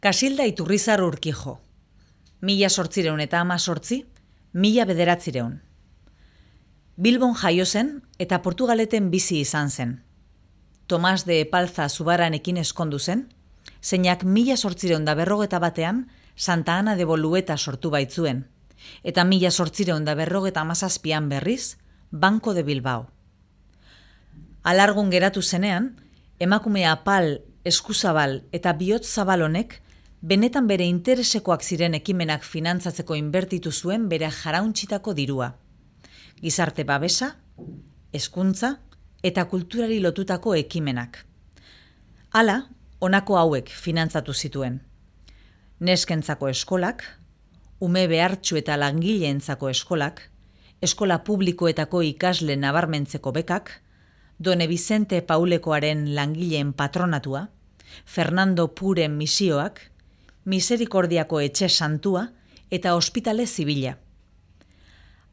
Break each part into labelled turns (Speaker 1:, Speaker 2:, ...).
Speaker 1: Kasilda Iturrizar Urkijo, 1818, 1900. Bilbon jaio zen eta Portugaleten bizi izan zen. Tomas de Epalza Zubaranekin eskondu zen, zeinak 1851 Santa Ana de Bolueta sortu baitzuen, eta 1857 berriz Banco de Bilbao. Alargun geratu zenean, emakume apal, eskuzabal eta bihotz zabal honek benetan bere interesekoak ziren ekimenak finantzatzeko inbertitu zuen bere jarauntzitako dirua. Gizarte babesa, hezkuntza eta kulturari lotutako ekimenak. Hala, honako hauek finantzatu zituen. Neskentzako eskolak, ume behartsu eta langileentzako eskolak, eskola publikoetako ikasle nabarmentzeko bekak, Done Vicente Paulekoaren langileen patronatua, Fernando Puren misioak, Miserikordiako etxe santua eta ospitale zibila.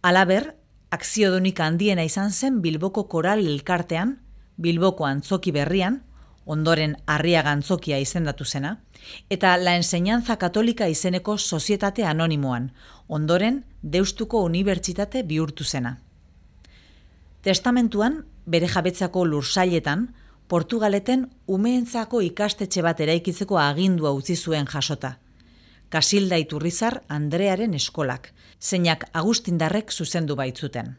Speaker 1: Halaber, akziodunik handiena izan zen Bilboko Koral Elkartean, Bilboko Antzoki Berrian, ondoren Arriaga Antzokia izendatu zena, eta La Enseñanza Katolika izeneko sozietate anonimoan, ondoren Deustuko Unibertsitate bihurtu zena. Testamentuan, bere jabetzako lursailetan, Portugaleten umeentzako ikastetxe bat eraikitzeko agindua utzi zuen jasota. Kasilda Iturrizar Andrearen eskolak, zeinak Agustindarrek zuzendu baitzuten.